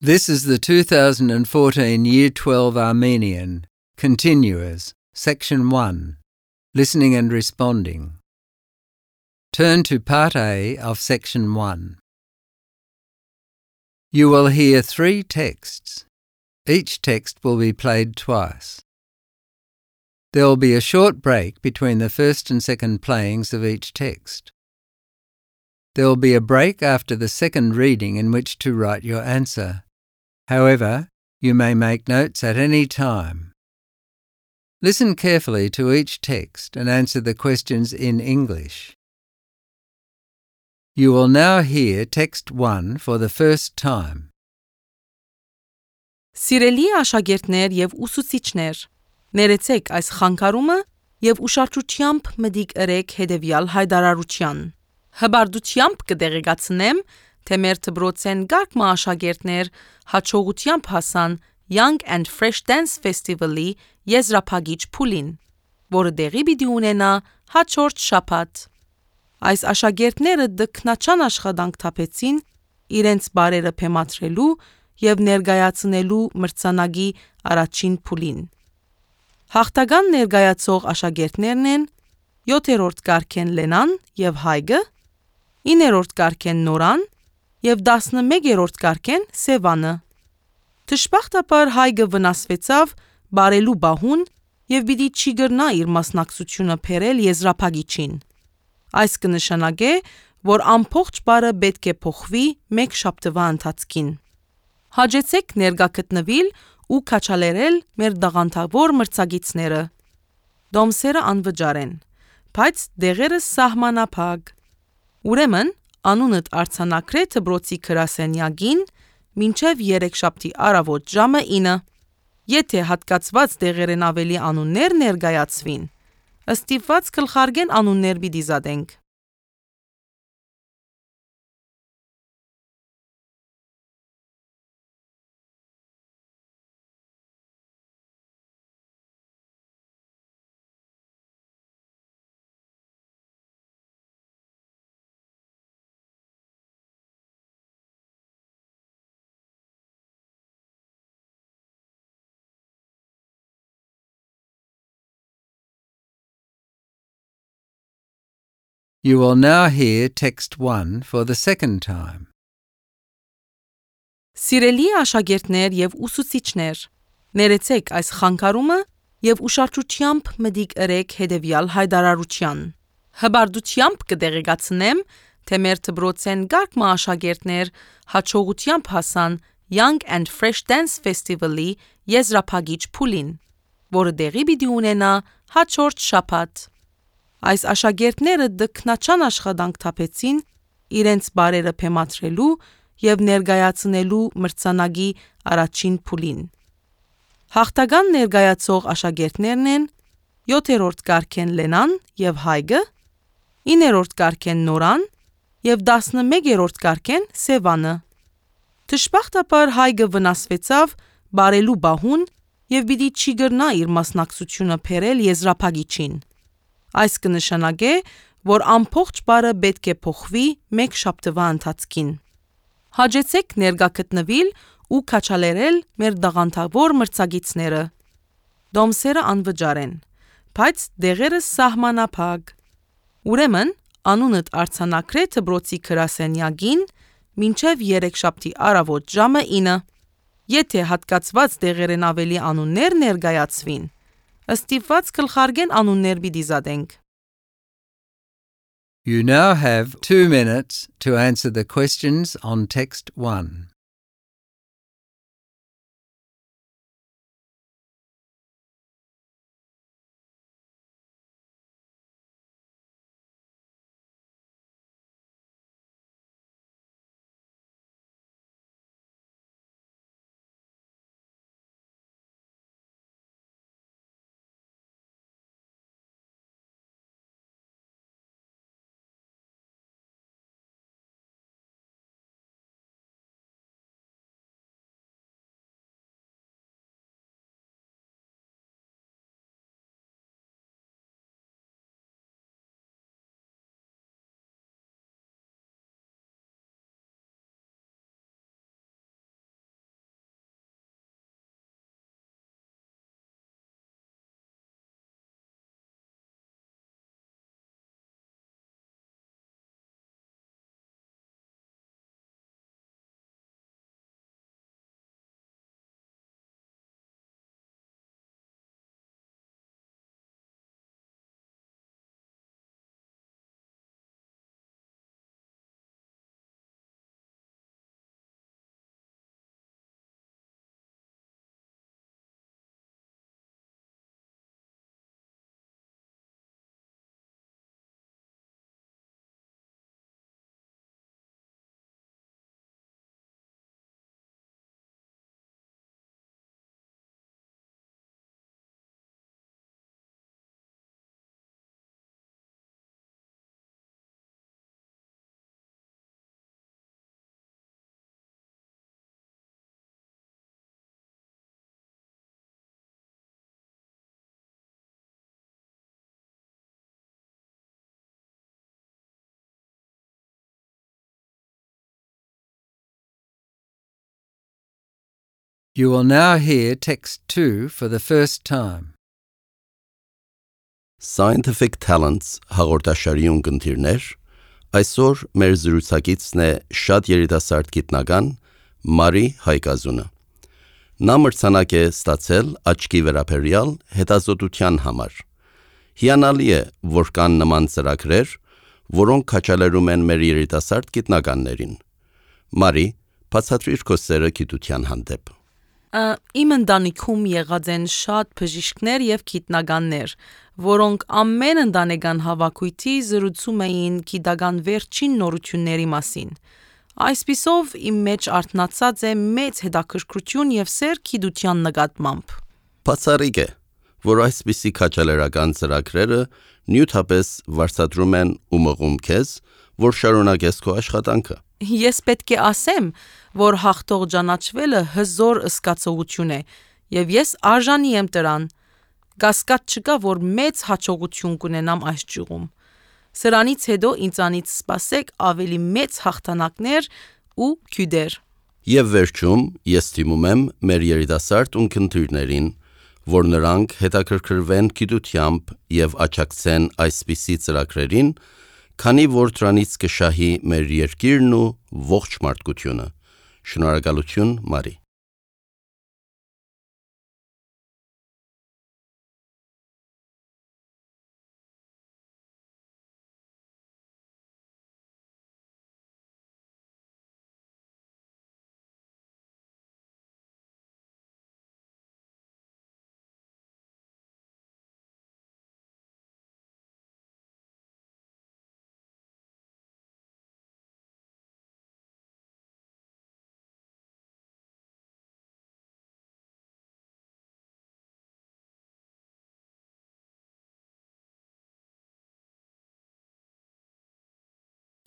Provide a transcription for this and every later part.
This is the 2014 Year 12 Armenian, Continuous, Section 1, Listening and Responding. Turn to Part A of Section 1. You will hear 3 texts. Each text will be played twice. There will be a short break between the first and second playings of each text. There will be a break after the second reading in which to write your answer. However, you may make notes at any time. Listen carefully to each text and answer the questions in English. You will now hear text 1 for the first time. Սիրելի աշակերտներ եւ ուսուցիչներ, ներեցեք այս խանգարումը եւ ուշադրությամբ մտիկ ըրեք հետեւյալ հայտարարության։ Հբարդությամբ կդեղեկացնեմ, թե մեր դպրոցեն գարկմա աշակերտներ հաջողությամբ հասան Young and Fresh Dance Festival-ի եզրափակիչ փուլին, որը դեղի պիտի ունենա հաջորդ շաբաթ։ Այս աշակերտները դքնաչան աշխատանք թափեցին իրենց բարերը փեմադրելու եւ ներկայացնելու մրցանակի առաջին փուլին։ Հաղթական ներկայացող աշակերտներն են 7-րդ կարգեն Լենան եւ Հայգը, 9-րդ կարգեն Նորան եւ 11-րդ կարգեն Սևանը։ Դժբախտաբար Հայգը վնասվեցավ բարելու բահուն եւ պիտի չի գրնա իր մասնակցությունը փերել եզրափակիչին։ Այս կնշանակե, որ ամբողջ բարը պետք է փոխվի մեկ շաբթվա ընթացքին։ Հաջեցեք ներկա գտնվել ու քաչալերել մեր դաղանթավոր մրցակիցները։ Դոմսերը անվճար են, բայց դեղերը սահմանափակ։ Ուրեմն, անունդ արձանագրե դպրոցի գրասենյակին մինչև 3 շաբթի առավոտ ժամը 9։ Եթե հատկացված դեղերեն ավելի անուններ ներկայացվին, ըստիպված կլխարգեն անուններ պիտի զատենք։ You will now hear text 1 for the second time. Սիրելի աշակերտներ եւ ուսուցիչներ, ներեցեք այս խանգարումը եւ ուշադրությամբ մտիկ ըրեք հետեւյալ հայտարարության։ Հբարդությամբ կդեղեկացնեմ, թե մեր դպրոցեն գարկմա աշակերտներ հաջողությամբ հասան Young and Fresh Dance Festival-ի եզրափակիչ փուլին, որը դեղի պիտի ունենա հաջորդ շաբաթ։ Այս աշակերտները դքնաչան աշխատանք թափեցին իրենց բարերը փեմադրելու եւ ներկայացնելու մրցանակի առաջին փուլին։ Հաղթական ներկայացող աշակերտներն են 7-րդ կարգեն Լենան եւ Հայգը, 9-րդ կարգեն Նորան եւ 11-րդ կարգեն Սևանը։ Դժբախտաբար Հայգը վնասվեցավ բարելու բահուն եւ պիտի չի գրնա իր մասնակցությունը փերել եզրափակիչին։ Այս կնշանակե, որ ամբողջ բարը պետք է փոխվի մեկ շաբթվա ընթացքին։ Հաջեցեք ներկա գտնվել ու քաչալերել մեր դաղանթավոր մրցակիցները։ Դոմսերը անվճար են, բայց դեղերը սահմանափակ։ Ուրեմն, անունդ արձանագրե դպրոցի գրասենյակին մինչև 3 շաբթի առավոտ ժամը 9։ Եթե հատկացված դեղերեն ավելի անուններ ներկայացվին, ըստիպված կլխարգեն անուններ պիտի զատենք։ You now have 2 minutes to answer the questions on text 1. You will now hear text 2 for the first time. Scientific Talents հաղորդաշարի ունկնդիրներ, այսօր մեր զրուցակիցն է շատ երիտասարդ գիտնական Մարի Հայկազունը։ Նա մրցանակ է ստացել աչքի վերաբերյալ հետազոտության համար։ Հիանալի է, որ կան նման ծրագրեր, որոնք քաջալերում են մեր երիտասարդ գիտնականներին։ Մարի, բացատրիր քո սերը գիտության հանդեպ։ Իմ ընտանիքում եղած են շատ բժիշկներ եւ գիտնականներ, որոնք ամեն ընտանեկան հավաքույթի զրուցում էին գիտական վերջին նորությունների մասին։ Այսպիսով իմ մեջ արթնացած է մեծ հետաքրքրություն եւ սեր գիտության նկատմամբ։ Բացառիկ է, որ այսպիսի քաջալերական ծրագրերը նյութապես վարձատրում են ու մղում քեզ, որ շարունակես քո աշխատանքը։ Ես պետք է ասեմ, որ հաղթող ճանաչվելը հզոր զգացողություն է, եւ ես արժանի եմ դրան։ Կասկած չկա, որ մեծ հաջողություն կունենամ այս ճյուղում։ Սրանից հետո ինձանից սպասեք ավելի մեծ հաղթանակներ ու քյուդեր։ Եվ վերջում ես թիմում եմ մեր երիտասարդ ունկնդիրներին, որ նրանք հետաքրքրվեն գիտությամբ եւ աջակցեն այսպիսի ծրագրերին, քանի որ դրանից կշահի մեր երկիրն ու ողջ մարդկությունը։ Շնորհակալություն, Մարի։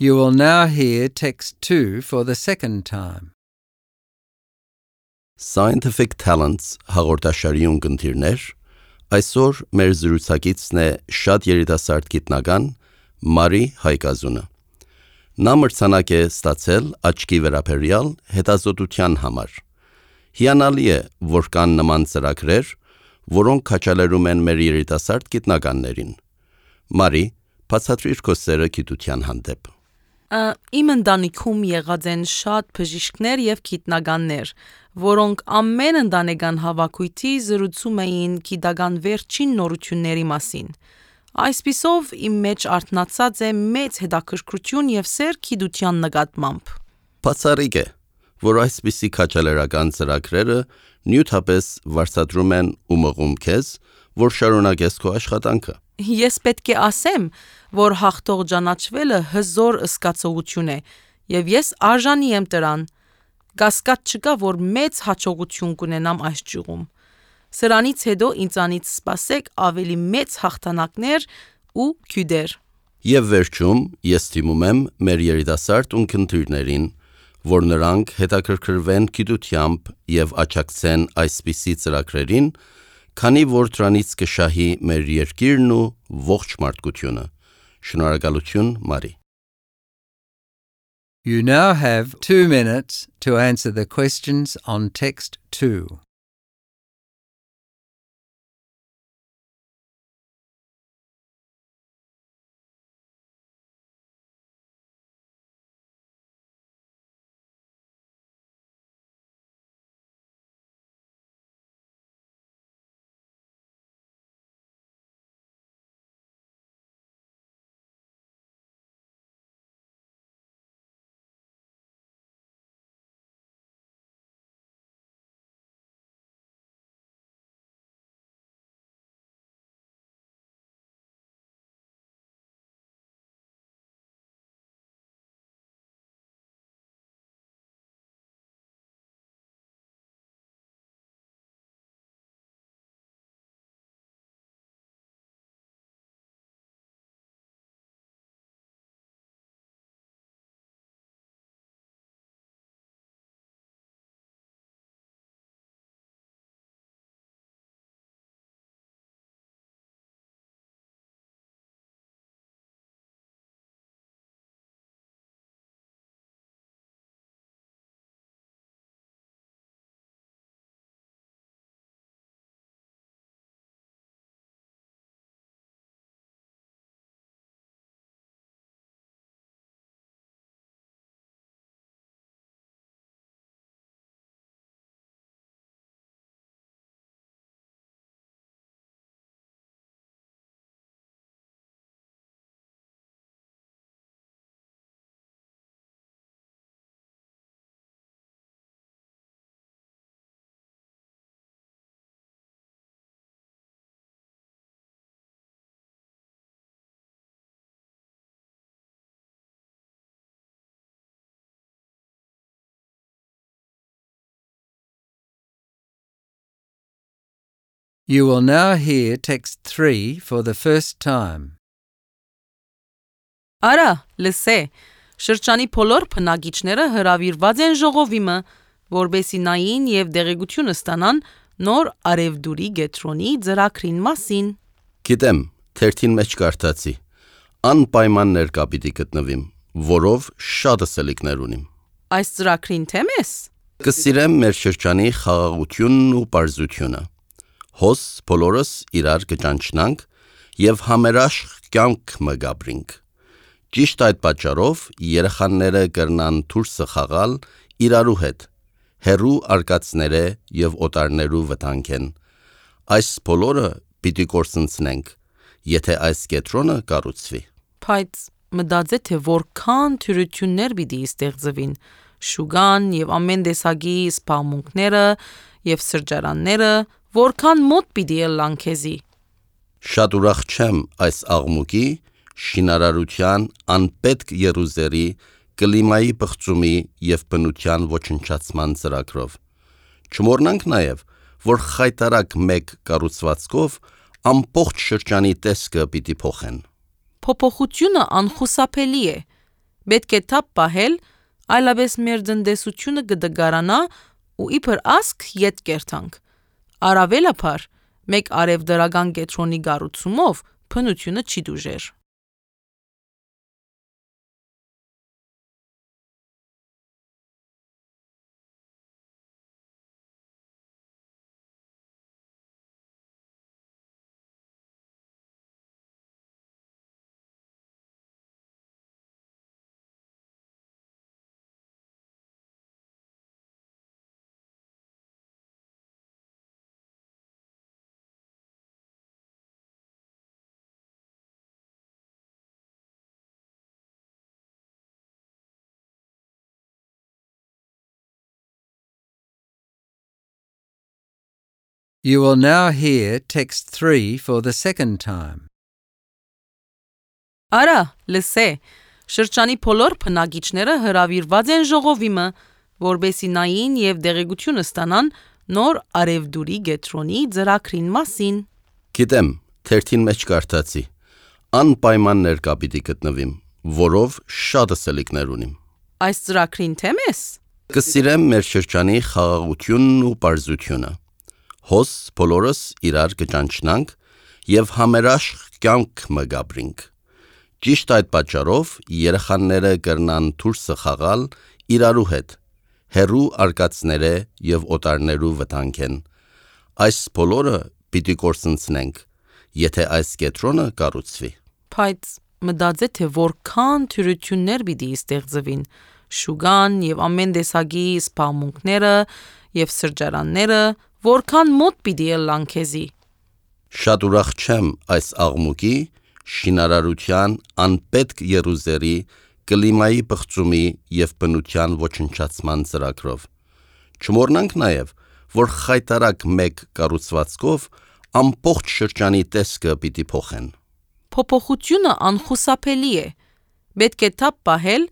You will now hear text 2 for the second time. Scientific Talents հաղորդաշարի ունկնդիրներ, այսօր մեր զրուցակիցն է շատ երիտասարդ գիտնական Մարի Հայկազունը։ Նա մրցանակ է ստացել աչքի վերաբերյալ հետազոտության համար։ Հիանալի է, որ կան նման ծրագրեր, որոնք քաջալերում են մեր երիտասարդ գիտնականներին։ Մարի, բացատրիր քո սերը գիտության հանդեպ։ Իմ ընտանիքում եղած են շատ բժիշկներ եւ գիտնականներ, որոնք ամեն ընտանեկան հավաքույթի զրուցում էին գիտական վերջին նորությունների մասին։ Այսպիսով իմ մեջ արթնացած է մեծ հետաքրքրություն եւ սեր գիտության նկատմամբ։ Բացառիկ է, որ այսպիսի քաջալերական ծրագրերը նյութապես վարձատրում են ու մղում քեզ, որ շարունակես քո աշխատանքը։ Ես պետք է ասեմ, որ հաղթող ճանաչվելը հզոր զգացողություն է, եւ ես արժանի եմ դրան։ Կասկած չկա, որ մեծ հաջողություն կունենամ այս ճյուղում։ Սրանից հետո ինձանից սպասեք ավելի մեծ հաղթանակներ ու քյուդեր։ Եվ վերջում ես թիմում եմ մեր երիտասարդ ունկնդիրներին, որ նրանք հետաքրքրվեն գիտությամբ եւ աջակցեն այսպիսի ծրագրերին, քանի որ դրանից կշահի մեր երկիրն ու ողջ մարդկությունը։ Շնորհակալություն, Մարի։ You now have 2 minutes to answer the questions on text 2. You will now hear text 3 for the first time. Արա, լսե, շրջանի բոլոր բնակիչները հրավիրված են ժողովիմը, որբեսի նային եւ դեղեցություն ստանան նոր արևդուրի գետրոնի ծրագրին մասին։ Գիտեմ, թերթին մեջ կարդացի։ Անպայման ներկա պիտի գտնվիմ, որով շատ ըսելիքներ ունիմ։ Այս ծրագրին թեմ ես։ Կսիրեմ մեր շրջանի խաղաղությունն ու պարզությունը։ Հոս բոլորս իրար կճանչնանք եւ համերաշխ կյանք մգաբրինք։ Ճիշտ այդ պատճառով երեխաները կրնան դուրսը խաղալ իրարու հետ, հերու արկածները եւ օտարներու վտանգեն։ Այս բոլորը պիտի կորսնցնենք, եթե այս կետրոնը կառուցվի։ Բայց մտածե թե որքան թյուրություններ պիտի ստեղծվին, շուգան եւ ամեն տեսակի սպամունքները եւ սրճարանները, որքան մոտ պիտի ելան քեզի։ Շատ ուրախ չեմ այս աղմուկի, շինարարության, անպետք երուզերի, կլիմայի բղծումի եւ բնության ոչնչացման ծրագրով։ Չմոռնանք նաեւ, որ խայտարակ մեկ կառուցվածքով ամբողջ շրջանի տեսքը պիտի փոխեն։ Փոփոխությունը անխուսափելի է։ Պետք է թափ պահել, այլապես մեր տնտեսությունը կդգարանա ու իբր ասք ետ կերտանք։ Առավելաբար, մեկ արևդրական կետրոնի կառուցումով բնությունը չի դուժեր։ You will now hear text 3 for the second time. Արա, լսե, շրջանի բոլոր բնակիչները հրավիրված են ժողովիմը, որբեսի նային եւ դեղեցություն ստանան նոր արևդուրի գետրոնի ծրագրին մասին։ Գիտեմ, թերթին մեջ կարդացի։ Անպայման ներկա պիտի գտնվիմ, որով շատ ըսելիքներ ունիմ։ Այս ծրագրին թեմ ես։ Կսիրեմ մեր շրջանի խաղաղությունն ու պարզությունը։ Հոս բոլորս իրար կճանչնանք եւ համերաշխ կյանք մգաբրինք։ Ճիշտ այդ պատճառով երեխաները կրնան դուրսը խաղալ իրարու հետ, հերու արկածները եւ օտարներու վտանգեն։ Այս բոլորը պիտի կորսնցնենք, եթե այս կետրոնը կառուցվի։ Բայց մտածե թե որքան թյուրություններ պիտի ստեղծվին, շուգան եւ ամեն տեսակի սպամունքները եւ սրճարանները, որքան մոտ պիտի ելան քեզի։ Շատ ուրախ չեմ այս աղմուկի, շինարարության, անպետք երուզերի, կլիմայի բղծումի եւ բնության ոչնչացման ծրագրով։ Չմոռնանք նաեւ, որ խայտարակ մեկ կառուցվածքով ամբողջ շրջանի տեսքը պիտի փոխեն։ Փոփոխությունը անխուսափելի է։ Պետք է թափ պահել,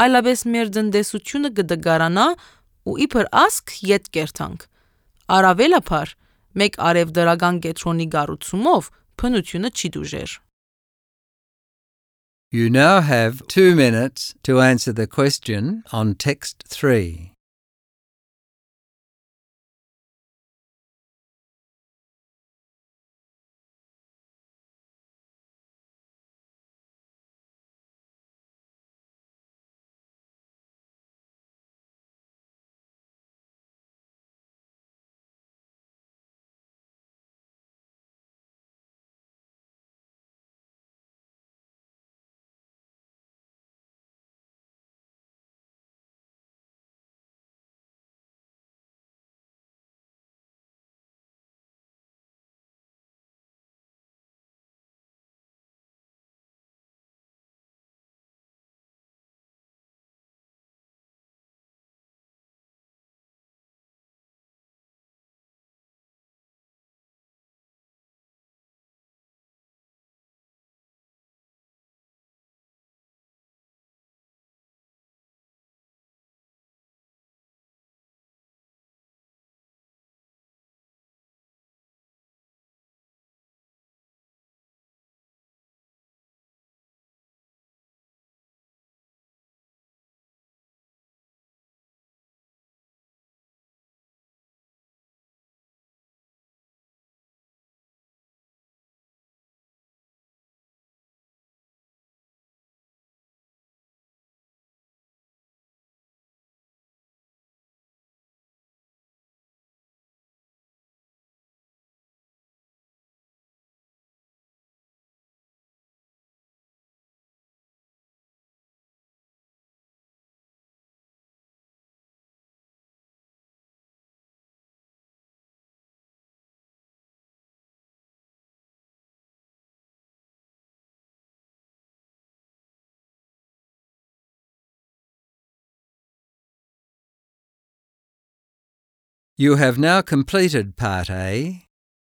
այլապես մեր տնտեսությունը կդգարանա ու իբր ասք ետ կերտանք։ Առավելաբար, մեկ արևդրական կետրոնի կառուցումով բնությունը չի դուժեր։ You now have 2 minutes to answer the question on text 3. You have now completed Part A.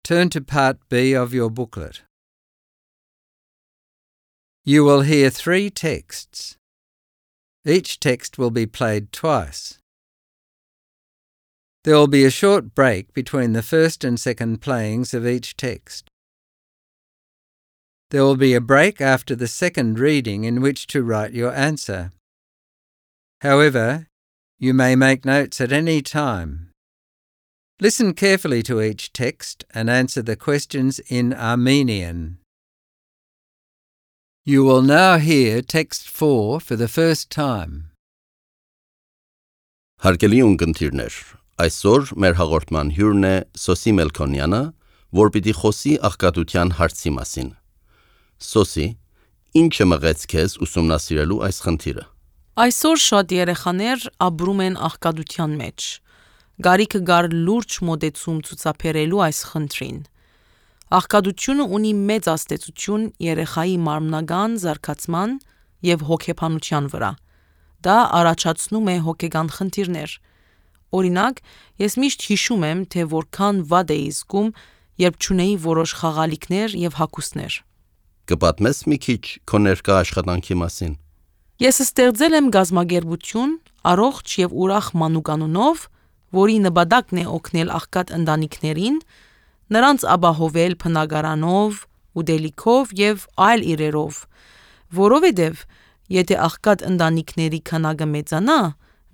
Turn to Part B of your booklet. You will hear 3 texts. Each text will be played twice. There will be a short break between the first and second playings of each text. There will be a break after the second reading in which to write your answer. However, you may make notes at any time. Listen carefully to each text and answer the questions in Armenian. You will now hear text 4 for the first time. Հարգելի ունկնդիրներ, այսօր մեր հաղորդման հյուրն է Սոսի Մելքոնյանը, որ պիտի խոսի աղքատության հարցի մասին։ Սոսի, ի՞նչը մղեց քեզ ուսումնասիրելու այս խնդիրը։ Այսօր շատ երեխաներ ապրում են աղքատության մեջ։ Գարիքը գար լուրջ մոտեցում ցուցաբերելու այս խնդրին։ Աղքատությունը ունի մեծ ազդեցություն երեխայի մարմնական զարգացման եւ հոգեբանության վրա։ Դա առաջացնում է հոգեգան խնդիրներ։ Օրինակ, ես միշտ հիշում եմ, թե որքան վատ էի զգում, երբ չունեի որոշ խաղալիքներ եւ հագուստներ։ Կպատմես մի քիչ քո ներկա աշխատանքի մասին։ Ես ստեղծել եմ գազագերբություն առողջ եւ ուրախ մանուկանունով, որի նպատակն է օգնել աղքատ ընտանիքներին, նրանց ապահովել բնակարանով, ուտելիքով եւ այլ իրերով, որովհետեւ եթե աղքատ ընտանիքների քանակը մեծանա,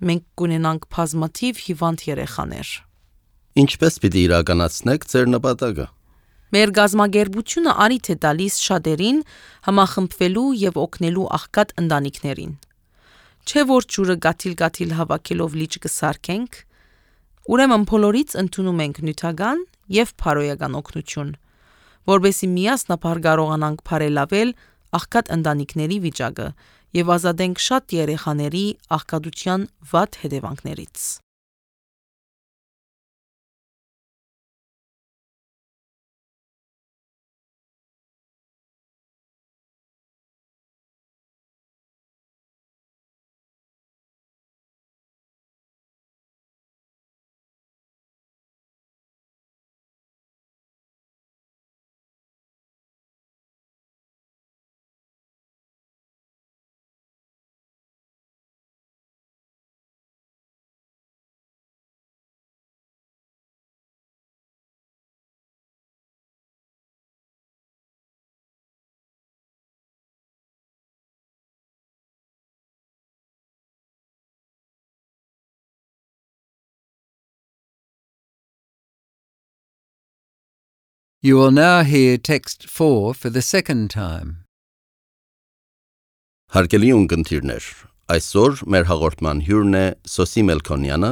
մենք կունենանք բազմաթիվ հիվանդ երեխաներ։ Ինչպես պիտի իրականացնեք ձեր նպատակը։ Մեր գազագերբությունը արիթ է տալիս շատերին համախմբվելու եւ օգնելու աղքատ ընտանիքներին։ Չէ որ ջուրը գաթիլ հավաքելով լիճ կսարքենք, ուրեմն բոլորից ընդունում ենք նյութական եւ փարոյական օգնություն, որովհետեւ միասնապար կարողանանք բարելավել աղքատ ընտանիքների վիճակը եւ ազատենք շատ երեխաների աղքատության վատ հետևանքներից։ You will now hear text 4 for the second time. Հարգելի ունկնդիրներ, այսօր մեր հաղորդման հյուրն է Սոսի Մելքոնյանը,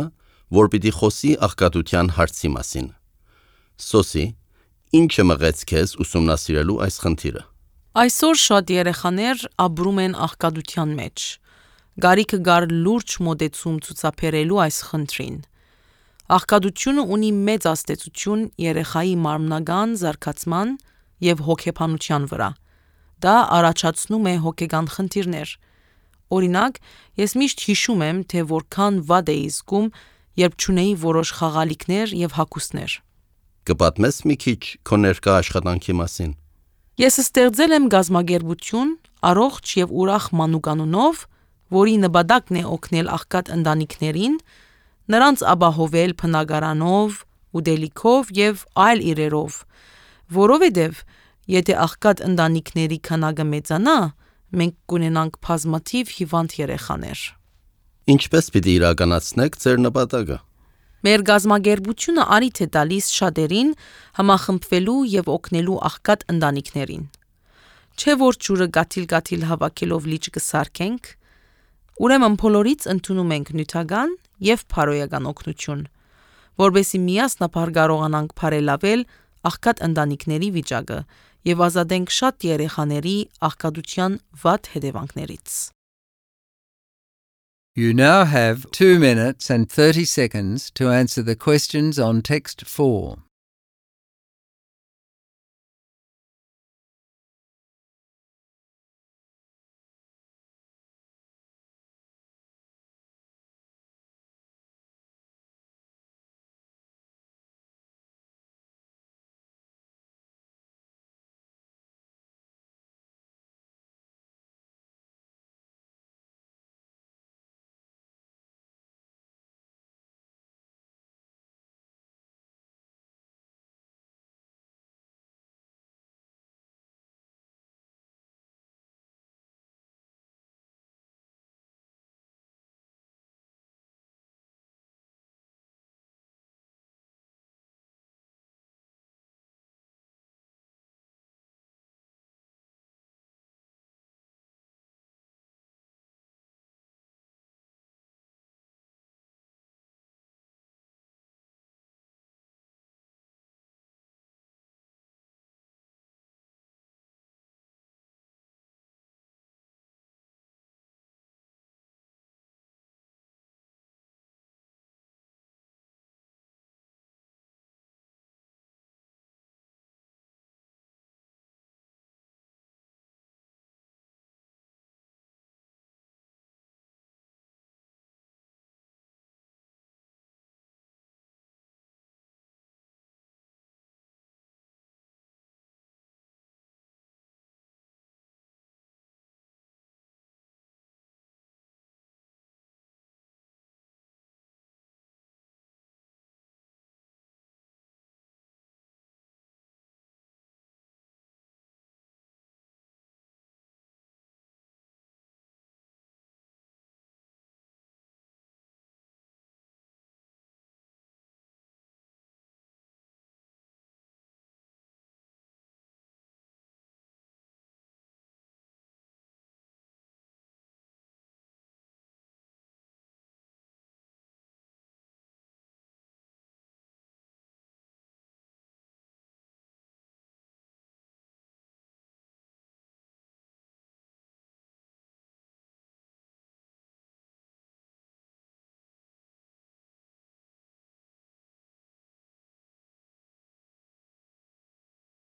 որ պիտի խոսի աղքատության հարցի մասին։ Սոսի, ի՞նչը մղեց քեզ ուսումնասիրելու այս խնդիրը։ Այսօր շատ երեխաներ ապրում են աղքատության մեջ։ Գարիքը գար լուրջ մոտեցում ցուցաբերելու այս խնդրին։ Աղքատությունը ունի մեծ ազդեցություն երեխայի մարմնական զարգացման եւ հոգեբանության վրա։ Դա առաջացնում է հոգեգան խնդիրներ։ Օրինակ, ես միշտ հիշում եմ, թե որքան վատ էի զգում, երբ չունեի որոշ խաղալիքներ եւ հագուստներ։ Կպատմես մի քիչ քո ներկա աշխատանքի մասին։ Ես ստեղծել եմ գազագերբություն առողջ եւ ուրախ մանուկանունով, որի նպատակն է օգնել աղքատ ընտանիքներին, նրանց ապահովել բնակարանով, ուտելիքով եւ այլ իրերով, որովհետեւ եթե աղքատ ընտանիքների քանակը մեծանա, մենք կունենանք բազմաթիվ հիվանդ երեխաներ։ Ինչպես պիտի իրականացնեք ձեր նպատակը։ Մեր գազագերբությունը արիթ է տալիս շատերին համախմբվելու եւ օգնելու աղքատ ընտանիքներին։ Չէ որ ջուրը գաթիլ հավաքելով լիճ կսարքենք, ուրեմն բոլորից ընդունում ենք նյութական եւ փարոյական օգնություն, որովհետեւ միասնապար կարողանանք բարելավել աղքատ ընտանիքների վիճակը եւ ազատենք շատ երեխաների աղքատության վատ հետևանքներից։ You now have 2 minutes and 30 seconds to answer the questions on text 4.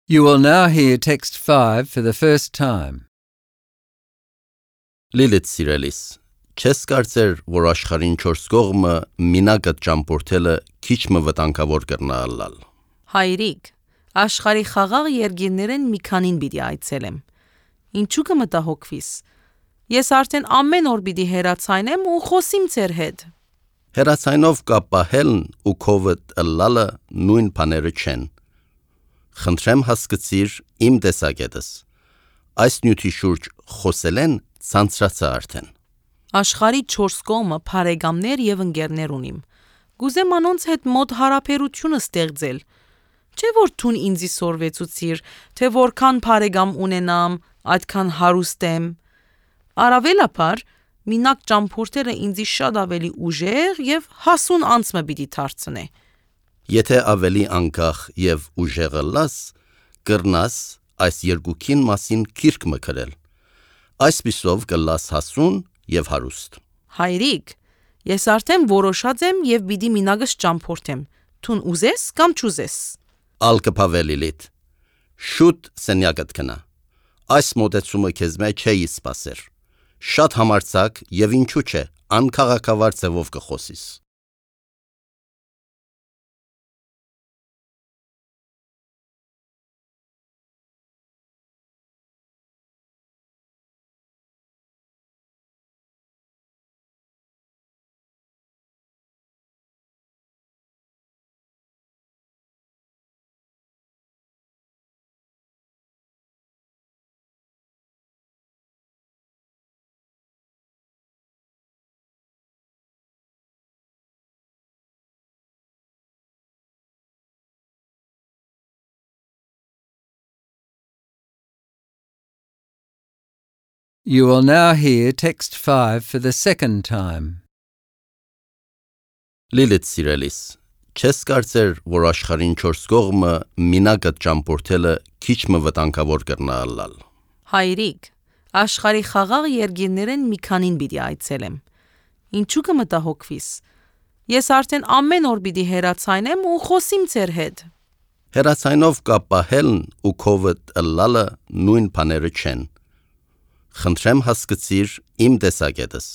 You will now hear text 5 for the first time. Լիլիթ սիրելիս, չես կարծեր, որ աշխարհին 4 կողմը մինագդ ճամփորդելը քիչ մը վտանգավոր կրնա ալալ։ Հայրիկ, աշխարհի խաղաղ երկիրներեն մի քանին պիտի այցելեմ։ Ինչու կմտահոգվիս։ Ես արդեն ամեն օր պիտի հեռացայնեմ ու խոսիմ ձեր հետ։ Հերացայնով կապահելն ու քովդ ըլլալը նույն բաները չեն։ Խնդրեմ հասկացիր իմ տեսակետս։ Այս նյութի շուրջ խոսել են ցանցրացա արդեն։ Աշխարհի 4 կողմը բարեկամներ եւ ընկերներ ունիմ։ Գուզեմ անոնց հետ մոտ հարաբերությունը ստեղծել։ Չէ որ ցուն ինձի սորվեցուցիր, թե որքան բարեկամ ունենամ, այդքան հարուստ եմ։ Արավելապար մինակ ճամփորդելը ինձի շատ ավելի ուժեղ եւ հասուն անցմը պիտի դարձնե։ Եթե ավելի անկախ եւ ուժեղ լաս, կրնաս այս երկուքին մասին քիրք մկրել։ Այսպիսով կլաս հասուն եւ հարուստ։ Հայրիկ, ես արդեն որոշած եմ եւ պիտի մինագս ճամփորդեմ։ Ցուն ուզես կամ չուզես։ Ալկփավելիլիտ։ Շուտ սենյակդ կնա։ Այս մոտեցումը քեզ մեջ չէի սպասեր։ Շատ համարցակ եւ ինչու՞ չէ, անքաղաքավար ձևով կխոսիս։ You will now hear text 5 for the second time. Լիլիթ սիրելիս, չես կարծեր, որ աշխարհին 4 կողմը մինագդ ճամփորդելը քիչ մը վտանգավոր կրնա ալալ։ Հայրիկ, աշխարհի խաղաղ երկիրներեն մի քանին պիտի այցելեմ։ Ինչու կմտահոգվիս։ Ես արդեն ամեն օր պիտի հեռացայնեմ ու խոսիմ ձեր հետ։ Հերացայնով կապահելն ու քովդ ըլլալը նույն բաները չեն։ Խնդրեմ հասկացիր իմ տեսակետս։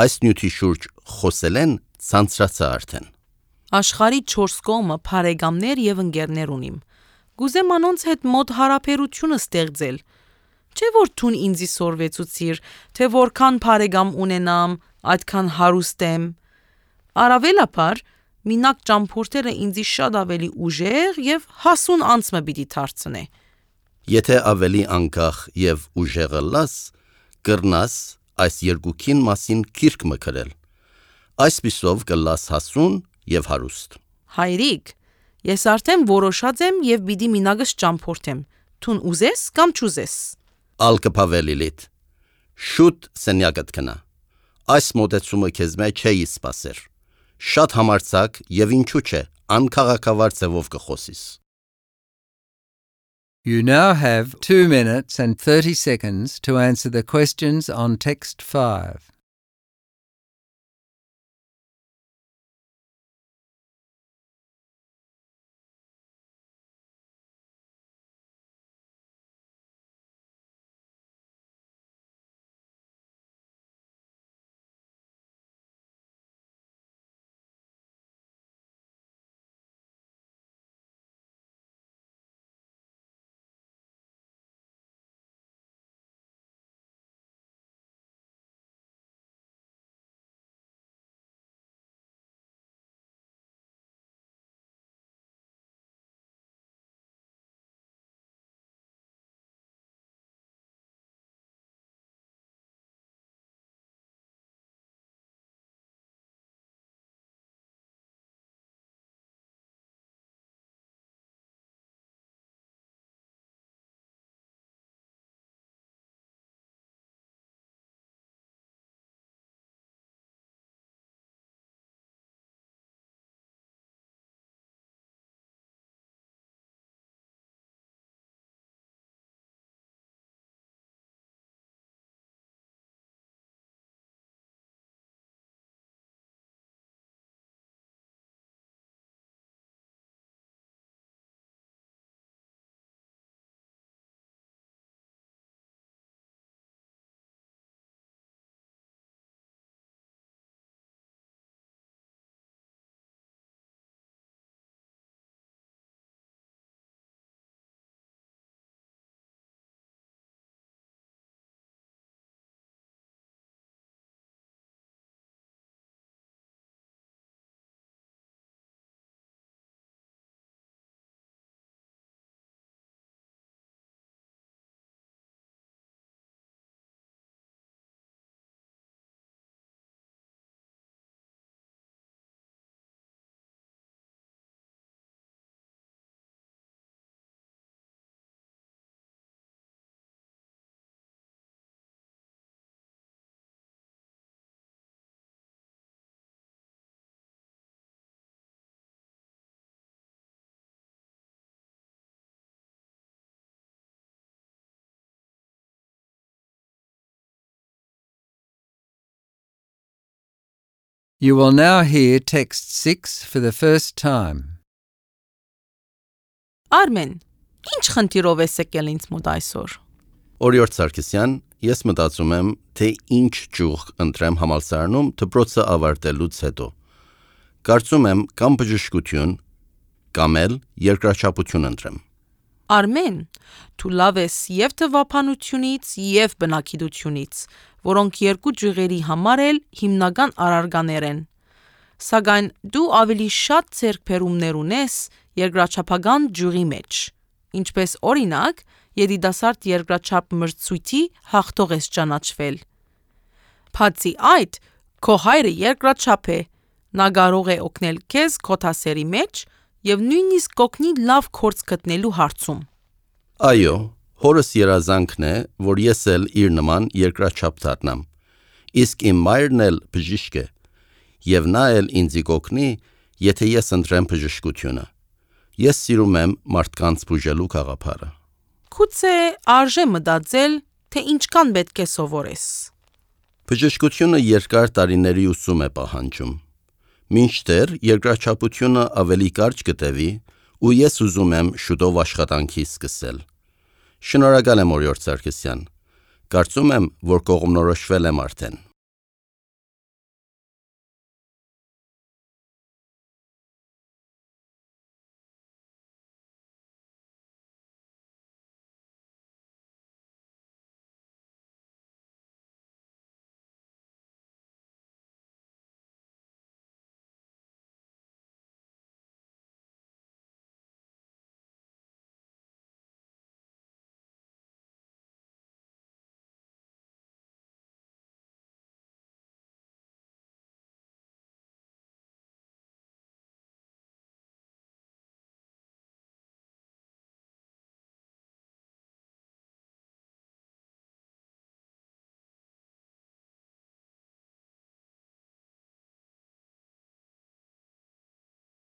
Այս նյութի շուրջ խոսել են ցանցրացա արդեն։ Աշխարհի 4 կողմը բարեկամներ եւ ընկերներ ունիմ։ Գուզեմ անոնց հետ մոտ հարաբերությունը ստեղծել։ Չէ որ ցուն ինձի սորվեցուցիր, թե որքան բարեկամ ունենամ, այդքան հարուստ եմ։ Արավելապար մինակ ճամփորդելը ինձի շատ ավելի ուժեղ եւ հասուն անցմը պիտի դարձնե։ Եթե ավելի անկախ եւ ուժեղ լաս, կրնաս այս երկուքին մասին քիրք մկրել։ Այսպիսով կլաս հասուն եւ հարուստ։ Հայրիկ, ես արդեն որոշած եմ եւ պիտի մինագս ճամփորդեմ։ Ցուն ուզես կամ չուզես։ Ալկփավելիլիտ։ Շուտ սենյակդ կնա։ Այս մոտեցումը քեզ մեջ չէի սպասեր։ Շատ համարցակ եւ ինչու՞ չէ, անքաղաքավար ձևով կխոսիս։ You now have 2 minutes and 30 seconds to answer the questions on text 5. You will now hear text 6 for the first time. Արմեն, ի՞նչ խնդիրով ես եկել ինձ մոտ այսօր։ Օրիորդ Սարգսյան, ես մտածում եմ, թե ինչ ճյուղ ընտրեմ համալսարանում դպրոցը ավարտելուց հետո։ Կարծում եմ կամ բժշկություն, կամ էլ երկրաչափություն ընտրեմ։ Արմեն, դու լավ ես եւ թվափանությունից եւ բնագիտությունից, որոնք երկու ճյուղերի համար էլ հիմնական առարգաներ են։ Սակայն դու ավելի շատ ձեռքբերումներ ունես երկրաչափական ճյուղի մեջ, ինչպես օրինակ, երիտասարդ երկրաչափ մրցույթի հաղթող ես ճանաչվել։ Բացի այդ, քո հայրը երկրաչափ է, նա կարող է օգնել քեզ քո դասերի մեջ եւ նույնիսկ կօգնի լավ գործ գտնելու հարցում։ Այո, հորս երազանքն է, որ ես էլ իր նման երկրաչափ դառնամ։ Իսկ իմ մայրն էլ բժիշկ է, եւ նա էլ ինձ կօգնի, եթե ես ընտրեմ բժշկությունը։ Ես սիրում եմ մարդկանց բուժելու գաղափարը։ Գուցե արժե մտածել, թե ինչքան պետք է սովորես։ Բժշկությունը երկար տարիների ուսում է պահանջում։ Մինչդեռ երկրաչափությունը ավելի կարճ գտևի, ու ես ուզում եմ շուտով աշխատանքի սկսել։ Շնորհակալ եմ, օրիորդ Սարգսյան։ Կարծում եմ, որ կողմնորոշվել եմ արդեն։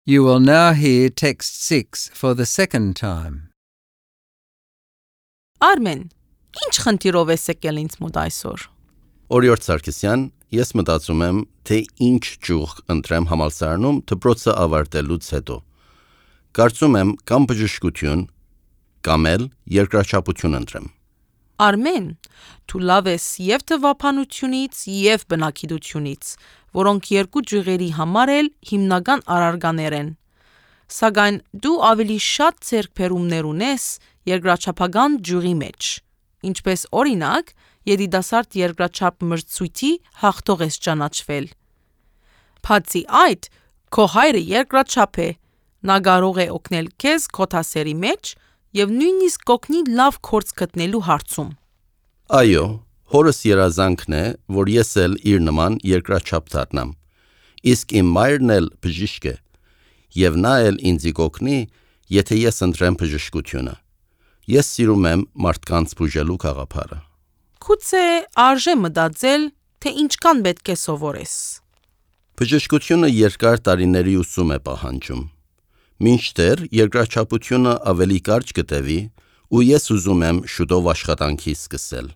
You will now hear text 6 for the second time. Արմեն, ի՞նչ խնդիրով ես եկել ինձ մոտ այսօր։ Օրիորդ Սարգսյան, ես մտածում եմ, թե ինչ ճյուղ ընտրեմ համալսարանում դպրոցը ավարտելուց հետո։ Կարծում եմ կամ բժշկություն, կամ էլ երկրաչափություն ընտրեմ։ Արմեն, դու լավ ես եւ թվափանությունից եւ բնագիտությունից, որոնք երկու ճյուղերի համար էլ հիմնական առարգաներ են։ Սակայն դու ավելի շատ ձեռքբերումներ ունես երկրաչափական ճյուղի մեջ, ինչպես օրինակ, երիտասարդ երկրաչափ մրցույթի հաղթող ես ճանաչվել։ Բացի այդ, քո հայրը երկրաչափ է, նա կարող է օգնել քեզ քո դասերի մեջ եւ նույնիսկ կօգնի լավ գործ գտնելու հարցում։ Այո, հորս երազանքն է, որ ես էլ իր նման երկրաչափ դառնամ։ Իսկ իմ մայրն էլ բժիշկ է, եւ նա էլ ինձ կօգնի, եթե ես ընտրեմ բժշկությունը։ Ես սիրում եմ մարդկանց բուժելու գաղափարը։ Գուցե արժե մտածել, թե ինչքան պետք է սովորես։ Բժշկությունը երկար տարիների ուսում է պահանջում։ Մինչդեռ երկրաչափությունը ավելի կարճ գտևի, ու ես ուզում եմ շուտով աշխատանքի սկսել։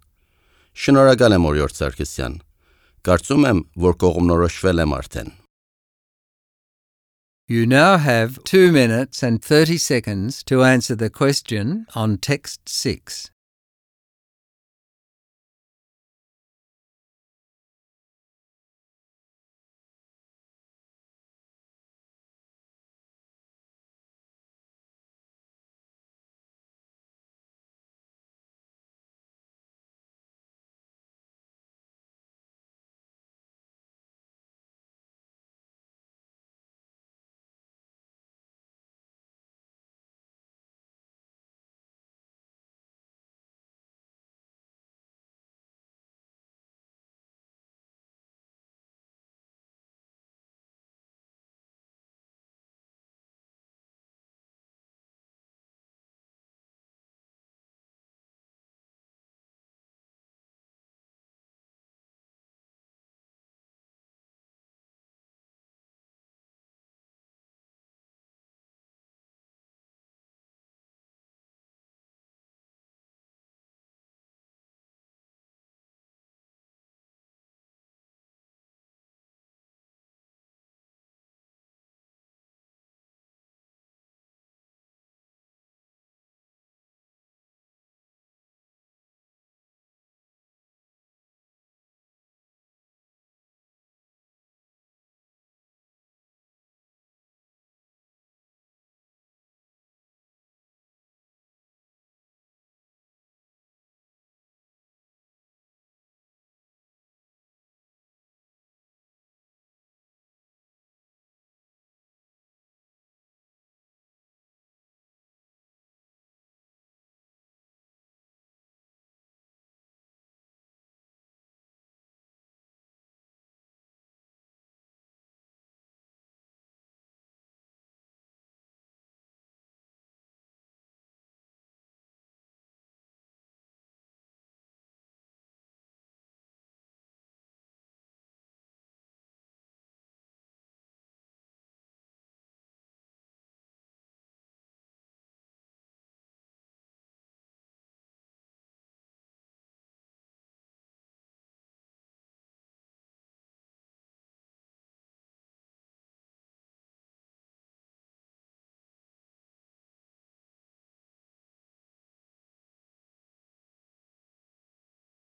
Շնորհակալ եմ, օրիորդ Սարգսյան։ Կարծում եմ, որ կողմնորոշվել եմ արդեն։ You now have 2 minutes and 30 seconds to answer the question on text 6.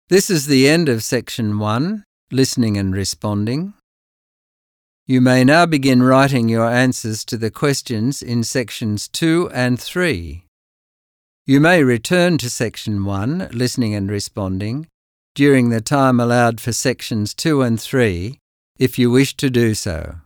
This is the end of section 1, listening and responding. You may now begin writing your answers to the questions in sections 2 and 3. You may return to section 1, listening and responding, during the time allowed for sections 2 and 3, if you wish to do so.